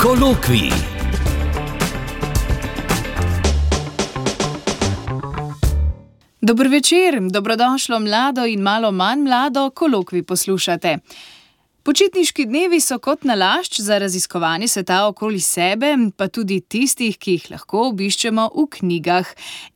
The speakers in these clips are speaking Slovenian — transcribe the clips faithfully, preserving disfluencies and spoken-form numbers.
Kolokvij. Dober večer, dobrodošlo mlado in malo manj mlado, Kolokvij poslušate. Počitniški dnevi so kot nalašč za raziskovanje sveta okoli sebe, pa tudi tistih, ki jih lahko obiščemo v knjigah.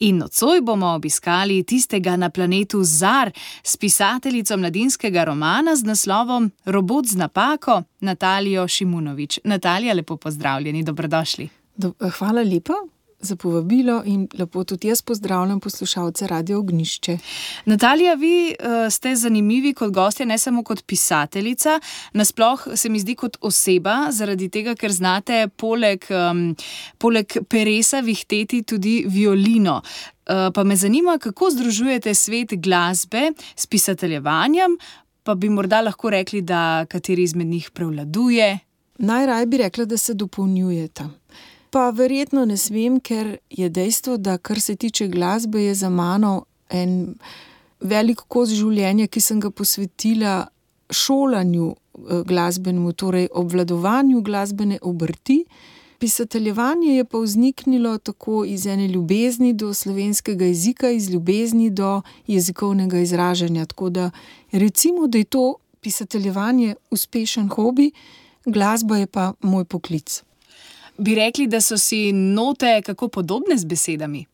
In nocoj bomo obiskali tistega na planetu Zar s pisateljico mladinskega romana z naslovom Robot z napako, Natalijo Šimunović. Natalija, lepo pozdravljeni, dobrodošli. Do, hvala lepa za povabilo in lepo tudi jaz pozdravljam poslušalce Radio Ognjišče. Natalija, vi uh, ste zanimivi kot gostja, ne samo kot pisateljica, nasploh se mi zdi kot oseba, zaradi tega, ker znate poleg, um, poleg peresa vihteti tudi violino. Uh, pa me zanima, kako združujete svet glasbe s pisateljevanjem, pa bi morda lahko rekli, da kateri izmed njih prevladuje? Najraje bi rekla, da se dopolnjujeta. Pa verjetno ne smem, ker je dejstvo, da kar se tiče glasbe, je za mano en velik kos življenja, ki sem ga posvetila šolanju glasbenemu, torej obvladovanju glasbene obrti. Pisateljevanje je pa vzniknilo tako iz ene ljubezni do slovenskega jezika, iz ljubezni do jezikovnega izražanja. Tako da recimo, da je to pisateljevanje uspešen hobi, glasba je pa moj poklic. Bi rekli, da so si note kako podobne z besedami?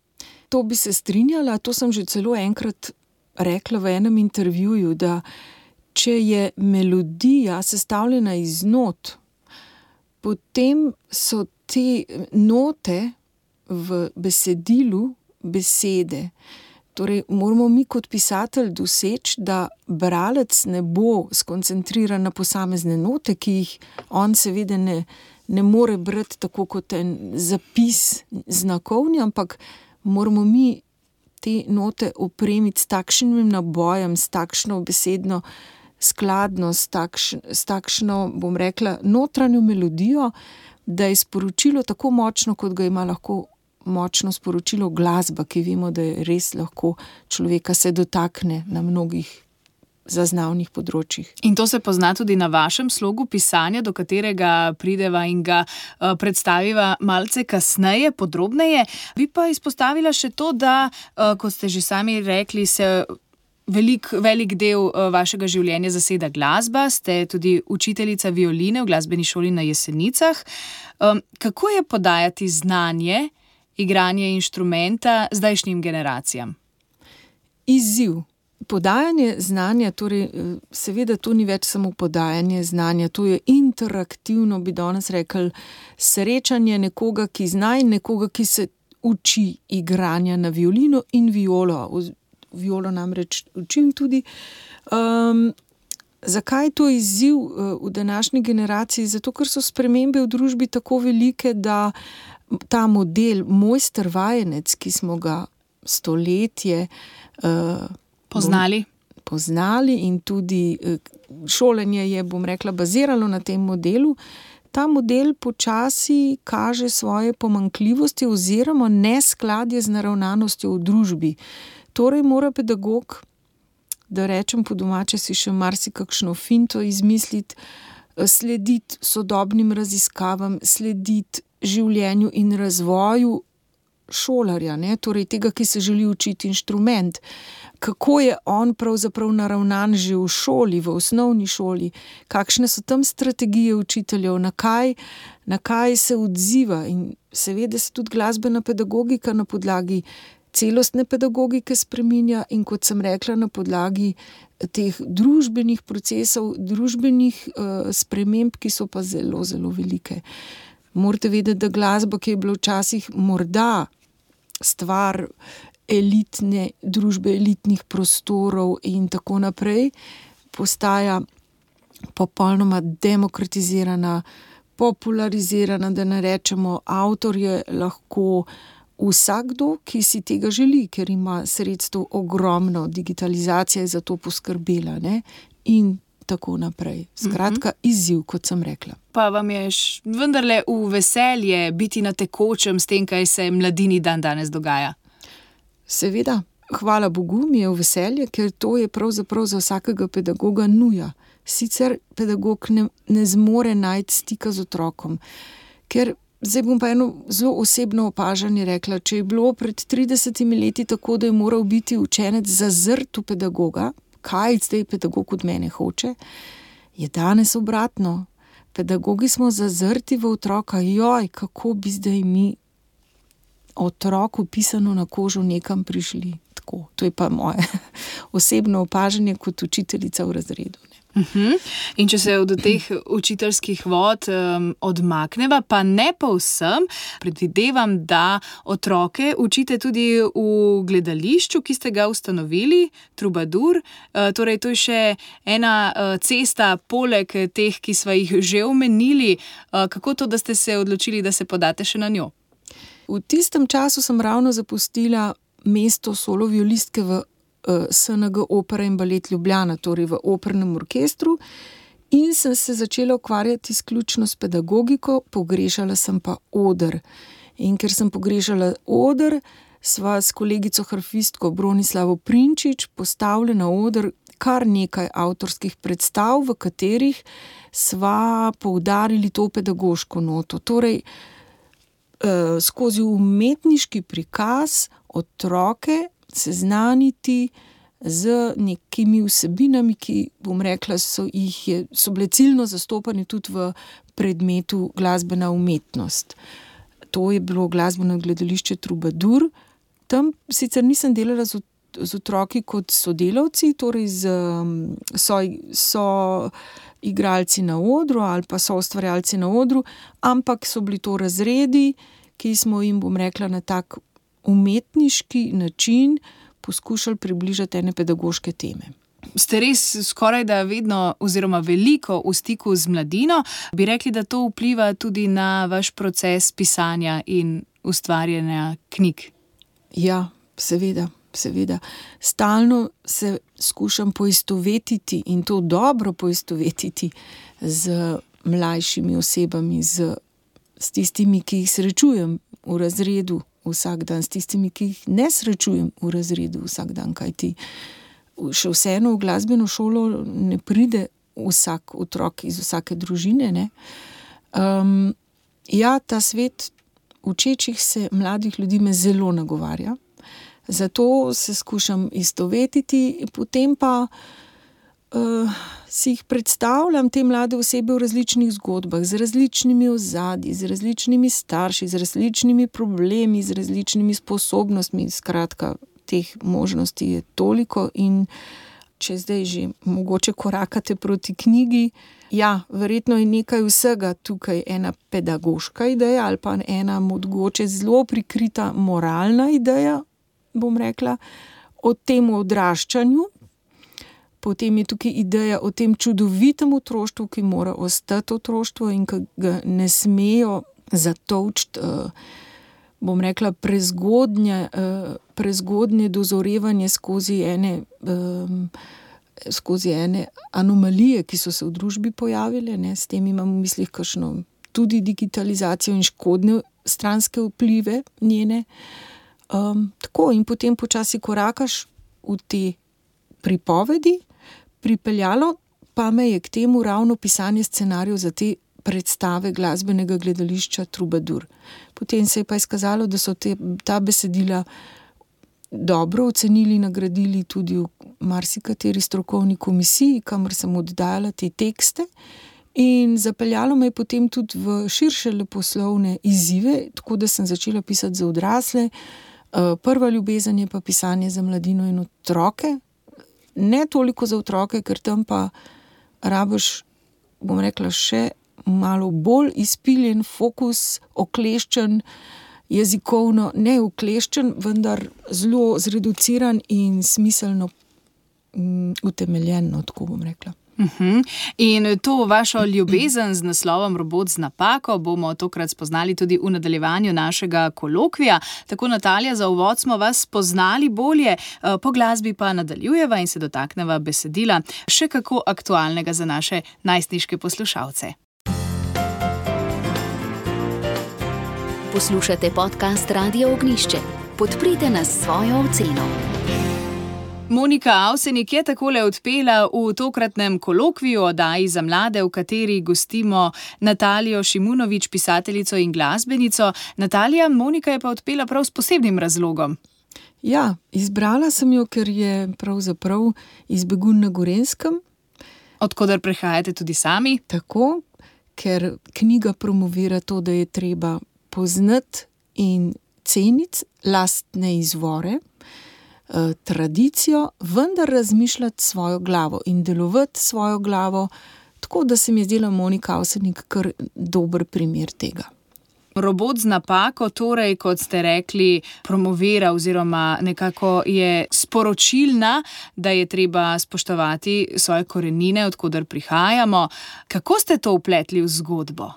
To bi se strinjala, to sem že celo enkrat rekla v enem intervjuju, da če je melodija sestavljena iz not, potem so te note v besedilu besede. Torej, moramo mi kot pisatelj doseči, da bralec ne bo skoncentriran na posamezne note, ki jih on seveda ne ne more brati tako kot en zapis znakovni, ampak moramo mi te note opremiti s takšnim nabojem, s takšno besedno skladnost, s, takš, s takšno, bom rekla, notranjo melodijo, da je sporočilo tako močno, kot ga ima lahko močno sporočilo glasba, ki vemo, da je res lahko človeka se dotakne na mnogih zaznavnih področjih. In to se pozna tudi na vašem slogu pisanja, do katerega prideva in ga uh, predstaviva malce kasneje, podrobneje. Bi pa izpostavila še to, da, uh, kot ste že sami rekli, se velik, velik del uh, vašega življenja zaseda glasba, ste tudi učiteljica violine v glasbeni šoli na Jesenicah. Um, kako je podajati znanje, igranje inštrumenta zdajšnjim generacijam? Izziv. Podajanje znanja, torej seveda to ni več samo podajanje znanja, to je interaktivno, bi danes rekli, srečanje nekoga, ki zna in nekoga, ki se uči igranja na violino in violo. Violo namreč učim tudi. Um, zakaj je to izziv v današnji generaciji? Zato, ker so spremembe v družbi tako velike, da ta model mojster vajenec, ki smo ga stoletje uh, Poznali. Poznali in tudi šolanje je, bom rekla, baziralo na tem modelu. Ta model počasi kaže svoje pomanjkljivosti oziroma neskladje z naravnanostjo v družbi. Torej mora pedagog, da rečem po domače, si še marsikakšno finto izmisliti, slediti sodobnim raziskavam, slediti življenju in razvoju šolarja, ne? Torej tega, ki se želi učiti inštrument. Kako je on pravzaprav naravnan že v šoli, v osnovni šoli, kakšne so tam strategije učiteljev, na kaj, na kaj se odziva in seveda se tudi glasbena pedagogika na podlagi celostne pedagogike spreminja in kot sem rekla, na podlagi teh družbenih procesov, družbenih uh, sprememb, ki so pa zelo, zelo velike. Morate vedeti, da glasba, ki je bila včasih morda stvar elitne družbe, elitnih prostorov in tako naprej, postaja popolnoma demokratizirana, popularizirana, da ne rečemo, avtor je lahko vsakdo, ki si tega želi, ker ima sredstev ogromno, digitalizacija je za to poskrbela, ne? In tako naprej. Skratka, izziv, kot sem rekla. Pa vam je vendarle v veselje biti na tekočem s tem, kaj se mladini dan danes dogaja? Seveda, hvala Bogu, mi je v veselje, ker to je pravzaprav za vsakega pedagoga nuja. Sicer pedagog ne, ne zmore najti stika z otrokom, Ker zdaj bom pa eno zelo osebno opažanje rekla, če je bilo pred tridesetimi leti tako, da je moral biti učenec zazrt v pedagoga, kaj zdaj pedagog od mene hoče, je danes obratno. Pedagogi smo zazrti v otroka, joj, kako bi zdaj mi otroku pisano na kožo nekam prišli. Tako, to je pa moje osebno opažanje kot učiteljica v razredu. Uh-huh. In če se od teh učiteljskih vod um, odmakneva, pa ne povsem, predvidevam, da otroke učite tudi v gledališču, ki ste ga ustanovili, Trubadur. Uh, torej, to je še ena uh, cesta poleg teh, ki sva jih že omenili. Uh, kako to, da ste se odločili, da se podate še na njo? V tistem času sem ravno zapustila mesto solo violistke v S N G Opera in balet Ljubljana, torej v opernem orkestru, in sem se začela ukvarjati izključno s pedagogiko, pogrešala sem pa oder. In ker sem pogrešala oder, sva s kolegico harfistko Bronislavo Prinčič postavili na oder kar nekaj avtorskih predstav, v katerih sva poudarili to pedagoško noto. Torej, eh, skozi umetniški prikaz otroke seznaniti z nekimi vsebinami, ki, bom rekla, so, jih je, so bile ciljno zastopane tudi v predmetu glasbena umetnost. To je bilo glasbeno gledališče Trubadur. Tam sicer nisem delala z, z otroki kot sodelavci, torej z, so, so igralci na odru ali pa so ustvarjalci na odru, ampak so bili to razredi, ki smo jim, bom rekla, na tak umetniški način poskušali približati ene pedagoške teme. Ste res skoraj da vedno oziroma veliko v stiku z mladino. Bi rekli, da to vpliva tudi na vaš proces pisanja in ustvarjanja knjig? Ja, seveda, seveda. Stalno se skušam poistovetiti in to dobro poistovetiti z mlajšimi osebami, z, s tistimi, ki jih srečujem v razredu vsak dan, s tistimi, ki jih ne srečujem v razredu vsak dan, kajti še vseeno v glasbeno šolo ne pride vsak otrok iz vsake družine. Ne? Um, ja, ta svet učečih se mladih ljudi me zelo nagovarja, zato se skušam istovetiti, potem pa uh, si jih predstavljam, te mlade osebe v različnih zgodbah, z različnimi ozadji, z različnimi starši, z različnimi problemi, z različnimi sposobnostmi. Skratka, teh možnosti je toliko in če zdaj že mogoče korakate proti knjigi, ja, verjetno je nekaj vsega tukaj, ena pedagoška ideja ali pa ena mogoče zelo prikrita moralna ideja, bom rekla, o tem odraščanju. Potem je tukaj ideja o tem čudovitem otroštvu, ki mora ostati otroštvo in ki ga ne smejo zatolčiti, bom rekla, prezgodnje, prezgodnje dozorevanje skozi ene, skozi ene anomalije, ki so se v družbi pojavile. Ne? S tem imam v mislih kakšno tudi digitalizacijo in škodne stranske vplive njene. Um, tako in potem počasi korakaš v te pripovedi. Pripeljalo pa me je k temu ravno pisanje scenarijev za te predstave glasbenega gledališča Trubadur. Potem se je pa izkazalo, da so te, ta besedila dobro ocenili, nagradili tudi v marsikateri strokovni komisiji, kamor sem oddajala te tekste, in zapeljalo me je potem tudi v širše leposlovne izzive, tako da sem začela pisati za odrasle. Prva ljubezen je pa pisanje za mladino in otroke. Ne toliko za otroke, ker tam pa rabiš, bom rekla, še malo bolj izpiljen fokus, okleščen, jezikovno ne okleščen, vendar zelo zreduciran in smiselno um, utemeljeno, tako bom rekla. Uh-huh. In to vašo ljubezen z naslovom Robot z napako bomo tokrat spoznali tudi v nadaljevanju našega kolokvija. Tako, Natalija, za uvod smo vas spoznali bolje, po glasbi pa nadaljujeva in se dotakneva besedila, še kako aktualnega za naše najstniške poslušalce. Poslušate podcast Radio Ognjišče. Podprite nas s svojo oceno. Monika Avsenik je takole odpela v tokratnem kolokviju oddaji za mlade, v kateri gostimo Natalijo Šimunović, pisateljico in glasbenico. Natalija, Monika je pa odpela prav s posebnim razlogom. Ja, izbrala sem jo, ker je pravzaprav iz Begunj na Gorenjskem. Od koder prihajate tudi sami. Tako, ker knjiga promovira to, da je treba poznati in ceniti lastne izvore, eh, tradicijo, vendar razmišljati svojo glavo in delovati svojo glavo, tako da se mi je zdela Monika Avsenik kar dober primer tega. Robot z napako, torej, kot ste rekli, promovira oziroma nekako je sporočilna, da je treba spoštovati svoje korenine, od koder prihajamo. Kako ste to vpletli v zgodbo?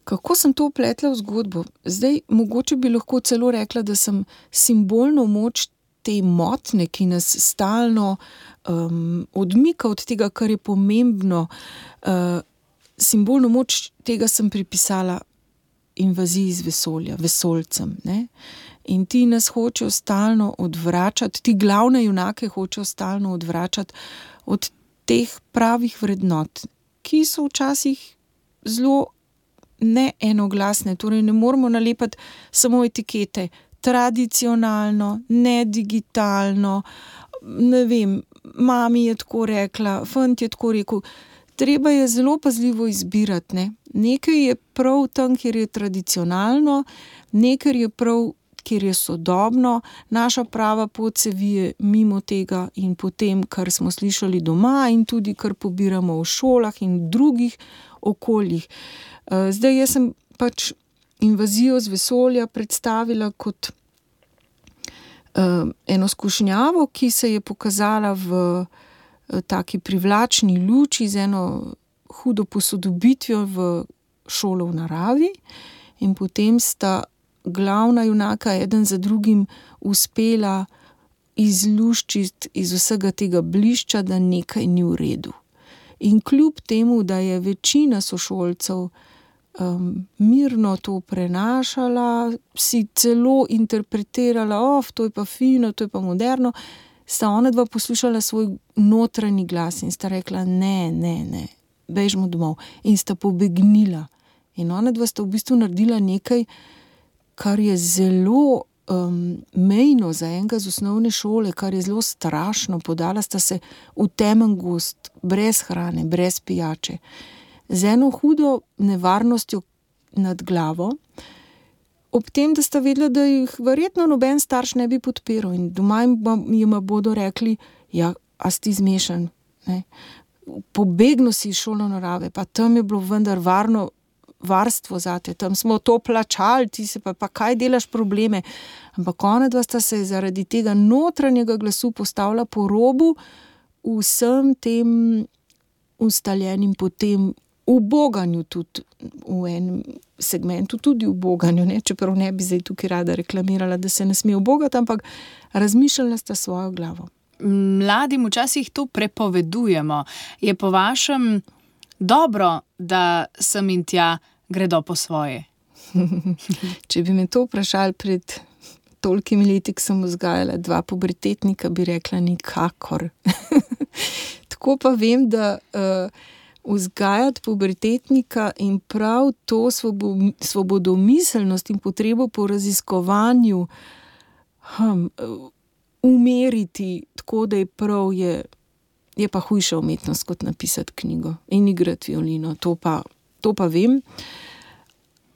Kako sem to vpletla v zgodbo? Zdaj, mogoče bi lahko celo rekla, da sem simbolno moč te motne, ki nas stalno um, odmika od tega, kar je pomembno. Uh, simbolno moč tega sem pripisala invaziji iz vesolja, vesoljcem. Ne? In ti nas hočejo stalno odvračati, ti glavne junake hočejo stalno odvračati od teh pravih vrednot, ki so včasih zelo neenoglasne, torej ne moramo nalepati samo etikete, tradicionalno, nedigitalno, ne vem, mami je tako rekla, fant je tako rekel. Treba je zelo pazljivo izbirati, ne. Nekaj je prav tam, kjer je tradicionalno, nekaj je prav, kjer je sodobno, naša prava pot se vije mimo tega in potem, kar smo slišali doma in tudi, kar pobiramo v šolah in drugih okoljih. Zdaj, jaz sem pač invazijo z vesolja predstavila kot uh, eno skušnjavo, ki se je pokazala v uh, taki privlačni luči z eno hudo posodobitvijo v šolo v naravi in potem sta glavna junaka eden za drugim uspela izluščiti iz vsega tega blišča, da nekaj ni v redu. In kljub temu, da je večina sošolcev Um, mirno to prenašala, si celo interpretirala, of, to je pa fino, to je pa moderno, sta ona dva poslušala svoj notranji glas in sta rekla, ne, ne, ne, bežimo domov. In sta pobegnila. In ona dva sta v bistvu naredila nekaj, kar je zelo um, mejno za enega z osnovne šole, kar je zelo strašno. Podala sta se v temen gozd, brez hrane, brez pijače, z eno hudo nevarnostjo nad glavo, ob tem, da sta vedela, da jih verjetno noben starš ne bi podpiral in doma jim bodo rekli, ja, a si ti zmešan, ne? Pobegno si iz šolo narave, pa tam je bilo vendar varno varstvo zate, tam smo to plačali, ti se pa, pa kaj delaš probleme. Ampak ona dva sta se zaradi tega notranjega glasu postavila po robu vsem tem ustaljenim potem uboganju tudi v enem segmentu, tudi uboganju, ne? Čeprav ne bi zdaj tukaj rada reklamirala, da se ne sme ubogati, ampak razmišljala sta svojo glavo. Mladim včasih to prepovedujemo. Je po vašem dobro, da sem in tja gredo po svoje? Če bi me to vprašali pred tolikimi leti, ko sem vzgajala dva pubertetnika, bi rekla nikakor. Tako pa vem, da uh, vzgajati pubertetnika in prav to svobo, svobodomiselnost in potrebo po raziskovanju hm, umeriti tako, da je prav, je, je pa hujša umetnost kot napisati knjigo in igrati violino, to pa, to pa vem.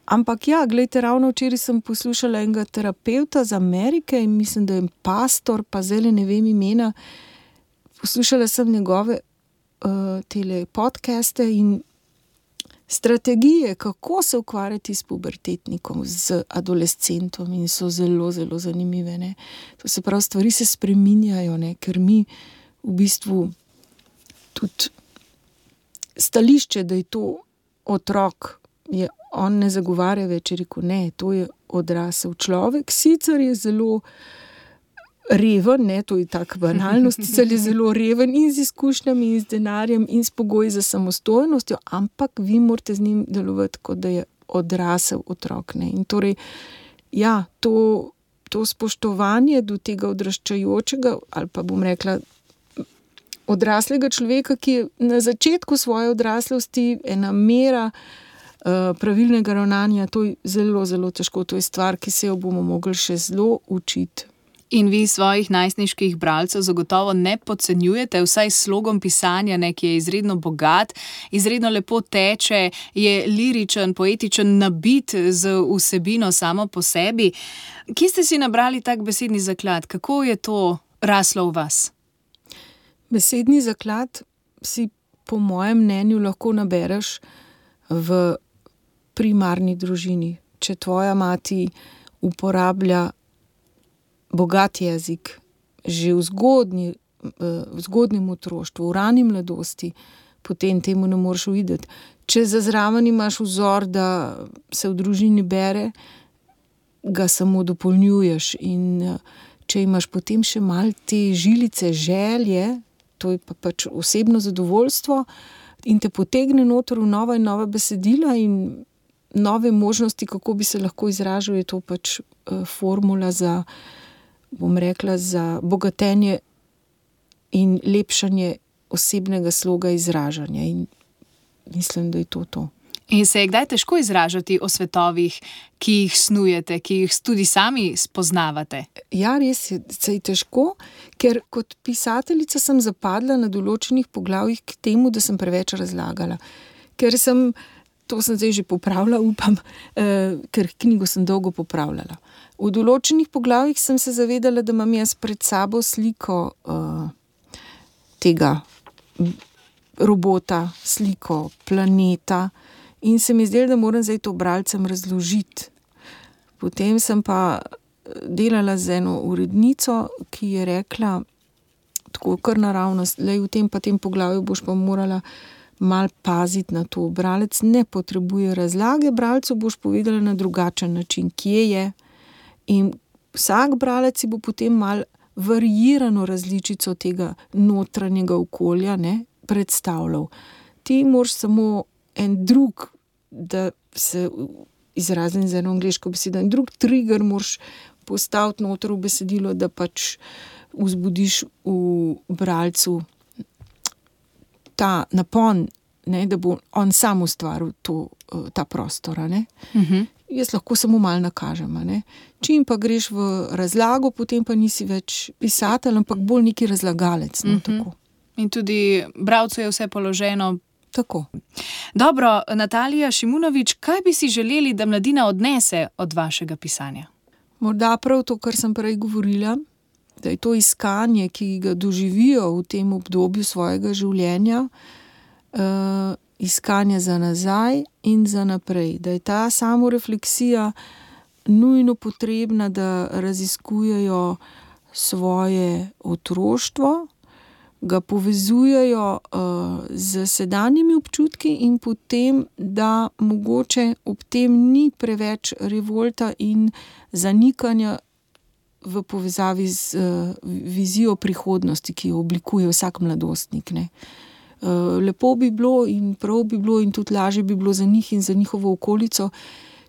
Ampak ja, gledajte, ravno včeraj sem poslušala enega terapevta iz Amerike in mislim, da je pastor, pa zdaj ne vem imena, poslušala sem njegove tele podcaste in strategije, kako se ukvarjati s pubertetnikom, z adolescentom in so zelo, zelo zanimive. Ne? To se pravi, stvari se spreminjajo, ne? Ker mi v bistvu tudi stališče, da je to otrok, je, on ne zagovarja več, je rekel, ne, to je odrasel človek, sicer je zelo reven, ne, to je taka banalnost, sicer je zelo reven in z izkušnjami in z denarjem in s pogoji za samostojnostjo, ampak vi morate z njim delovati, kot da je odrasel otrok. Ne. In torej, ja, to, to spoštovanje do tega odraščajočega, ali pa bom rekla odraslega človeka, ki je na začetku svoje odraslosti ena mera uh, pravilnega ravnanja, to je zelo, zelo težko. To je stvar, ki se jo bomo mogli še zelo učiti. In vi svojih najstniških bralcev zagotovo ne podcenjujete, vsaj s slogom pisanja, ne, ki je izredno bogat, izredno lepo teče, je liričen, poetičen, nabit z vsebino samo po sebi. Kje ste si nabrali tak besedni zaklad? Kako je to raslo v vas? Besedni zaklad si po mojem mnenju lahko nabereš v primarni družini. Če tvoja mati uporablja bogat jezik že v, zgodnji, v zgodnjem otroštvu, v rani mladosti, potem temu ne moreš uideti. Če za zraven imaš vzor, da se v družini bere, ga samo dopolnjuješ. In če imaš potem še malo te žilice želje, to je pa pač osebno zadovoljstvo in te potegne noter v nova in nova besedila in nove možnosti, kako bi se lahko izražal, je to pač uh, formula za, bom rekla, za bogatenje in lepšanje osebnega sloga izražanja. In mislim, da je to to. In se je kdaj težko izražati o svetovih, ki jih snujete, ki jih tudi sami spoznavate? Ja, res je, se je težko, ker kot pisateljica sem zapadla na določenih poglavjih k temu, da sem preveč razlagala. Ker sem, to sem zdaj že popravila, upam, eh, ker knjigo sem dolgo popravljala. V določenih poglavjih sem se zavedala, da imam jaz pred sabo sliko eh, tega robota, sliko planeta, in se mi zdelo, da moram zdaj to bralcem razložiti. Potem sem pa delala z eno urednico, ki je rekla, tako kar naravnost, lej v tem pa tem poglavju boš pa morala mal paziti na to. Bralec ne potrebuje razlage, bralcu boš povedala na drugačen način, kje je. In vsak bralec si bo potem mal variirano različico tega notranjega okolja, ne, predstavljal. Ti moraš samo en drug, da se izrazim z eno angleško besedo, en drug trigger moraš postaviti noter v besedilo, da pač vzbudiš v bralcu ta napon, ne, da bo on sam ustvaril to, ta prostor. Ne. Uh-huh. Jaz lahko samo malo nakažem. Ne. Čim pa greš v razlago, potem pa nisi več pisatelj, ampak bolj neki razlagalec. No, uh-huh. Tako. In tudi bralcu je vse položeno. Tako. Dobro, Natalija Šimunović, kaj bi si želeli, da mladina odnese od vašega pisanja? Morda prav to, kar sem prej govorila, da je to iskanje, ki ga doživijo v tem obdobju svojega življenja, uh, iskanje za nazaj in za naprej. Da je ta samorefleksija nujno potrebna, da raziskujejo svoje otroštvo, ga povezujejo uh, z sedanjimi občutki in potem, da mogoče ob tem ni preveč revolta in zanikanja v povezavi z uh, vizijo prihodnosti, ki jo oblikuje vsak mladostnik. Ne. Uh, lepo bi bilo in prav bi bilo in tudi lažje bi bilo za njih in za njihovo okolico,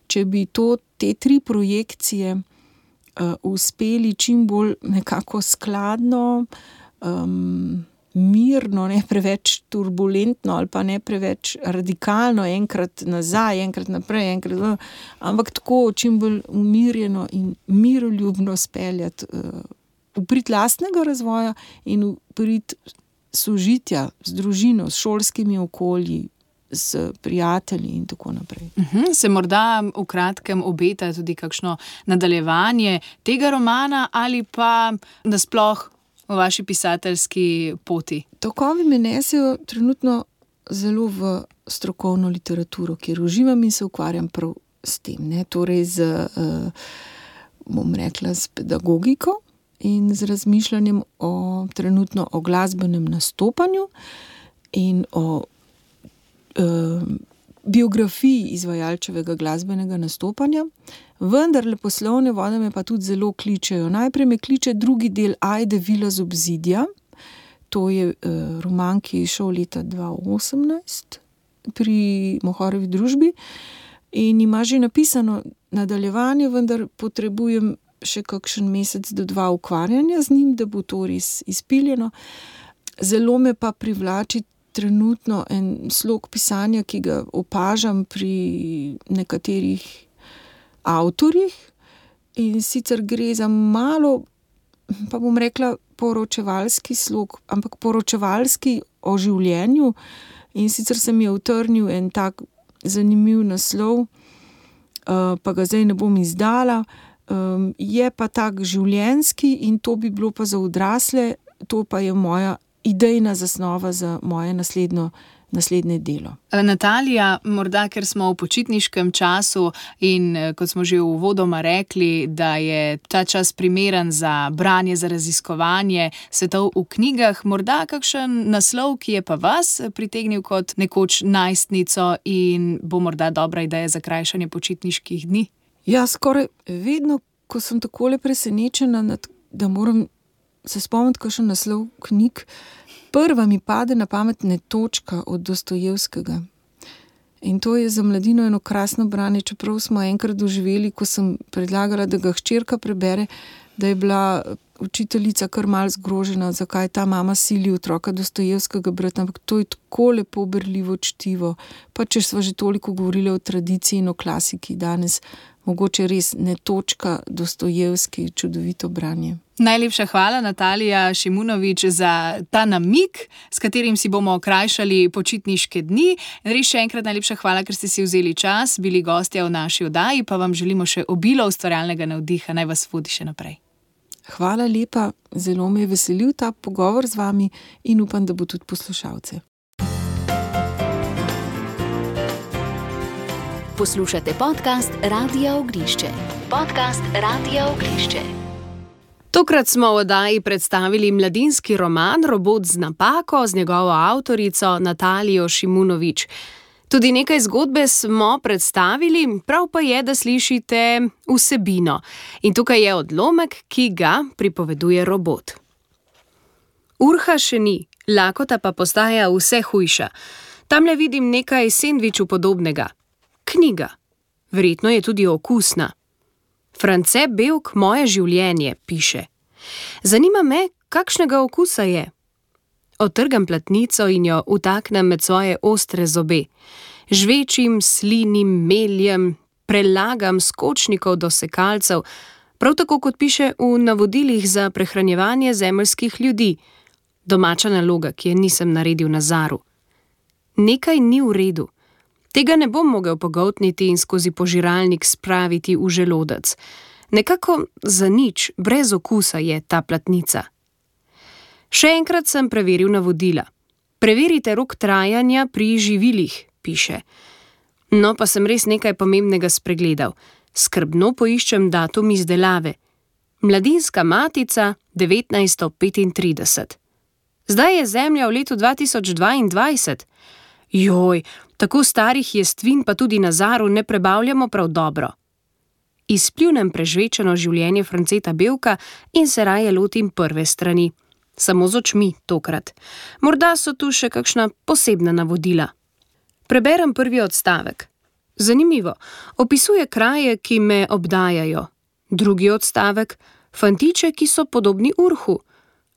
če bi to, te tri projekcije uh, uspeli čim bolj nekako skladno, Um, mirno, ne preveč turbulentno ali pa ne preveč radikalno, enkrat nazaj, enkrat naprej, enkrat, ampak tako čim bolj umirjeno in miroljubno speljati uh, v prid lastnega razvoja in v prid sožitja z družino, s šolskimi okolji, s prijatelji in tako naprej. Uhum, se morda v kratkem obeta tudi kakšno nadaljevanje tega romana ali pa nasploh v vaši pisateljski poti? Tokovi me nesejo trenutno zelo v strokovno literaturo, kjer uživam in se ukvarjam prav s tem. Ne? Torej z, uh, bom rekla, s pedagogiko in z razmišljanjem o, trenutno o glasbenem nastopanju in o uh, biografiji izvajalčevega glasbenega nastopanja. Vendar leposlovne vode me pa tudi zelo kličejo. Najprej me kliče drugi del Ajde Vila z obzidja. To je uh, roman, ki je šel leta dva tisoč osemnajst pri Mohorevi družbi in ima že napisano nadaljevanje, vendar potrebujem še kakšen mesec do dva ukvarjanja z njim, da bo to res izpiljeno. Zelo me pa privlači trenutno en slog pisanja, ki ga opažam pri nekaterih avtorjih, in sicer gre za malo, pa bom rekla, poročevalski slog, ampak poročevalski o življenju, in sicer se mi je utrnil en tak zanimiv naslov, pa ga zdaj ne bom izdala, je pa tak življenjski in to bi bilo pa za odrasle, to pa je moja idejna zasnova za moje naslednjo, naslednje delo. Natalija, morda ker smo v počitniškem času in kot smo že uvodoma rekli, da je ta čas primeren za branje, za raziskovanje svetov v knjigah, morda kakšen naslov, ki je pa vas pritegnil kot nekoč najstnico in bo morda dobra ideja za krajšanje počitniških dni? Ja, skoraj vedno, ko sem takole presenečena, da moram se spomniti kakšen naslov knjig, prva mi pade na pamet Netočka od Dostojevskega. In to je za mladino eno krasno branje, čeprav smo enkrat doživeli, ko sem predlagala, da ga hčerka prebere, da je bila učiteljica kar malo zgrožena, zakaj ta mama sili otroka Dostojevskega brati, ampak to je tako lepo berljivo čtivo. Pa če sva že toliko govorili o tradiciji in o klasiki danes, mogoče res Netočka, Dostojevski, čudovito branje. Najlepša hvala, Natalija Šimunović, za ta namig, s katerim si bomo okrajšali počitniške dni. Res še enkrat najlepša hvala, ker ste si vzeli čas, bili gostja v naši oddaji, pa vam želimo še obilo ustvarjalnega navdiha, naj vas vodi še naprej. Hvala lepa, zelo me je veselil ta pogovor z vami in upam, da bo tudi poslušalce. Poslušate podcast Radia Oglišče. Podcast Radia Oglišče. Tokrat smo v oddaji predstavili mladinski roman Robot z napako z njegovo avtorico Natalijo Šimunović. Tudi nekaj zgodbe smo predstavili, prav pa je, da slišite vsebino. In tukaj je odlomek, ki ga pripoveduje robot. Urha še ni, lakota pa postaja vse hujša. Tamle vidim nekaj sendviču podobnega. Knjiga. Verjetno je tudi okusna. France Bevk moje življenje, piše. Zanima me, kakšnega okusa je. Odtrgam platnico in jo vtaknem med svoje ostre zobe. Žvečim, slinim, meljem, prelagam skočnikov do sekalcev, prav tako kot piše v navodilih za prehranjevanje zemeljskih ljudi. Domača naloga, ki je nisem naredil na Zaru. Nekaj ni v redu. Tega ne bom mogel pogoltniti in skozi požiralnik spraviti v želodec. Nekako za nič, brez okusa je ta platnica. Še enkrat sem preveril navodila. Preverite rok trajanja pri živilih, piše. No, pa sem res nekaj pomembnega spregledal. Skrbno poiščem datum izdelave. Mladinska matica devetnajststo petintrideset. Zdaj je Zemlja v letu dva tisoč dvaindvajset. Joj, tako starih jestvin pa tudi na Zaru ne prebavljamo prav dobro. Izpljunem prežvečeno življenje Franceta Bevka in se raje lotim prve strani. Samo z očmi tokrat. Morda so tu še kakšna posebna navodila. Preberem prvi odstavek. Zanimivo, opisuje kraje, ki me obdajajo. Drugi odstavek, fantiče, ki so podobni Urhu.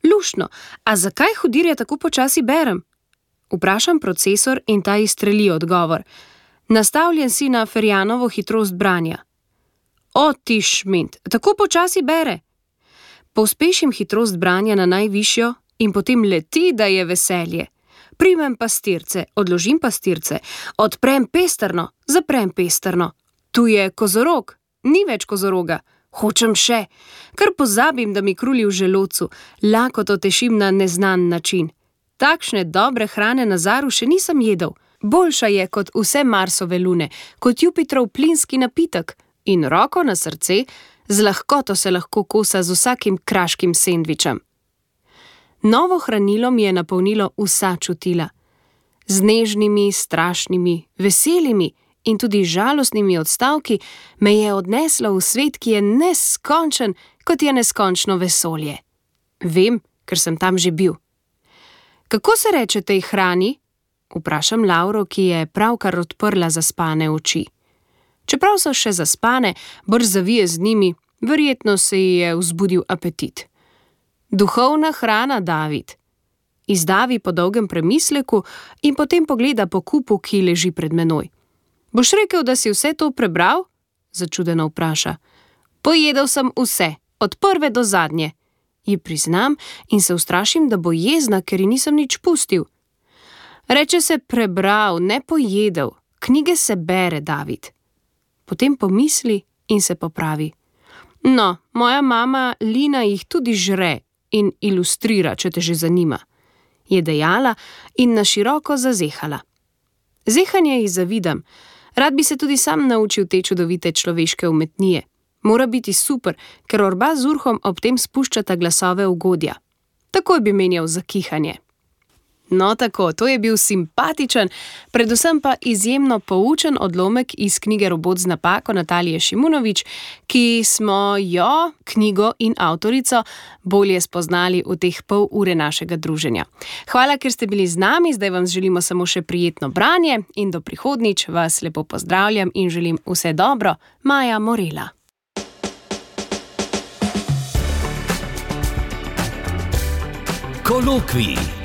Luštno, a zakaj hudirje tako počasi berem? Vprašam procesor in ta izstreli odgovor. Nastavljen si na Ferjanovo hitrost branja. O, ti šment, tako počasi bere. Pospešim hitrost branja na najvišjo in potem leti, da je veselje. Primem pastirce, odložim pastirce, odprem pestrno, zaprem pestrno. Tu je kozorog, ni več kozoroga. Hočem še, kar pozabim, da mi kruli v želodcu, lakoto tešim na neznan način. Takšne dobre hrane na Zaru še nisem jedel. Boljša je kot vse Marsove lune, kot Jupiterov plinski napitek in roko na srce, z lahkoto se lahko kosa z vsakim kraškim sendvičem. Novo hranilo mi je napolnilo vsa čutila. Z nežnimi, strašnimi, veselimi in tudi žalostnimi odstavki me je odneslo v svet, ki je neskončen, kot je neskončno vesolje. Vem, ker sem tam že bil. Kako se reče tej hrani? Vprašam Lauro, ki je pravkar odprla zaspane oči. Čeprav so še zaspane, brž zavije z njimi, Verjetno se ji je vzbudil apetit. Duhovna hrana, David. Izdavi po dolgem premisleku in potem pogleda po kupu, ki leži pred menoj. Boš rekel, da si vse to prebral? Začudeno vpraša. Pojedel sem vse, od prve do zadnje. Ji priznam in se ustrašim, da bo jezna, ker ji nisem nič pustil. Reče se prebral, ne pojedel. Knjige se bere, David. Potem pomisli in se popravi. No, moja mama Lina jih tudi žre in ilustrira, če te že zanima. Je dejala in na široko zazehala. Zehanje ji zavidam. Rad bi se tudi sam naučil te čudovite človeške umetnije. Mora biti super, ker orba z urhom ob tem spuščata glasove ugodja. Takoj bi menjal za kihanje. No tako, to je bil simpatičen, predvsem pa izjemno poučen odlomek iz knjige Robot z napako Natalije Šimunović, ki smo jo, knjigo in avtorico, bolje spoznali v teh pol ure našega druženja. Hvala, ker ste bili z nami, zdaj vam želimo samo še prijetno branje in do prihodnjič vas lepo pozdravljam in želim vse dobro. Maja Morela. Kolokvij.